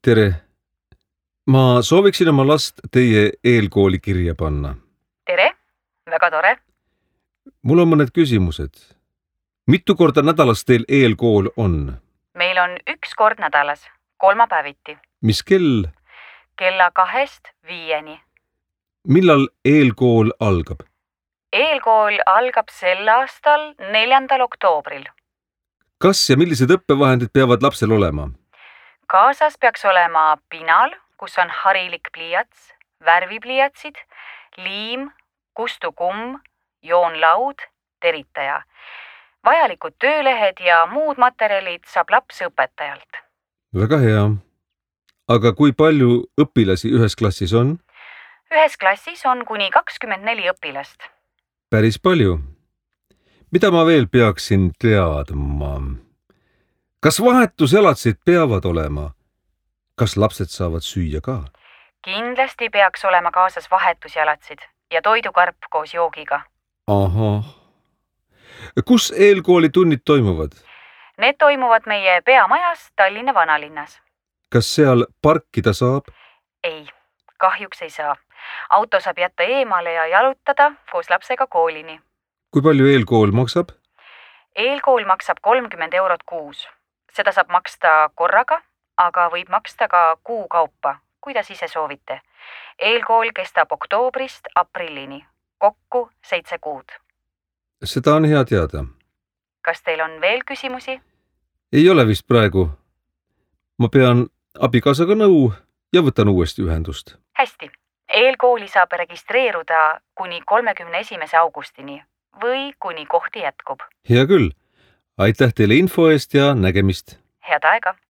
Tere! Ma sooviksin oma last teie eelkooli kirja panna. Tere! Väga tore. Mul on mõned küsimused. Mitu korda nädalas teil eelkool on? Meil on 1 kord nädalas, kolmapäeviti. Mis kell? Kella 2–5. Millal eelkool algab? Eelkool algab sel aastal 4. oktoobril. Kas ja millised õppevahendid peavad lapsel olema? Kaasas peaks olema pinal, kus on harilik pliiats, värvipliiatsid, liim, kustukumm, joonlaud, teritaja. Vajalikud töölehed ja muud materjalid saab laps õpetajalt. Väga hea. Aga kui palju õpilasi ühes klassis on? Ühes klassis on kuni 24 õpilast. Päris palju. Mida ma veel peaksin teadma? Kas vahetuselatsid peavad olema? Kas lapsed saavad süüa ka? Kindlasti peaks olema kaasas vahetusjalatsid ja toidukarp koos joogiga. Ahah. Kus eelkooli tunnid toimuvad? Need toimuvad meie peamajas Tallinna vanalinnas. Kas seal parkida saab? Ei, kahjuks ei saa. Auto saab jätta eemale ja jalutada koos lapsega koolini. Kui palju eelkool maksab? Eelkool maksab 30 eurot kuus. Seda saab maksta korraga, aga võib maksta ka kuu kaupa, kuidas ise soovite. Eelkool kestab oktoobrist aprillini. Kokku 7 kuud. Seda on hea teada. Kas teil on veel küsimusi? Ei ole vist praegu. Ma pean abikaasaga nõu ja võtan uuesti ühendust. Hästi. Eelkooli saab registreeruda kuni 31. augustini või kuni kohti jätkub. Hea küll. Aitäh teile info eest ja nägemist. Head aega!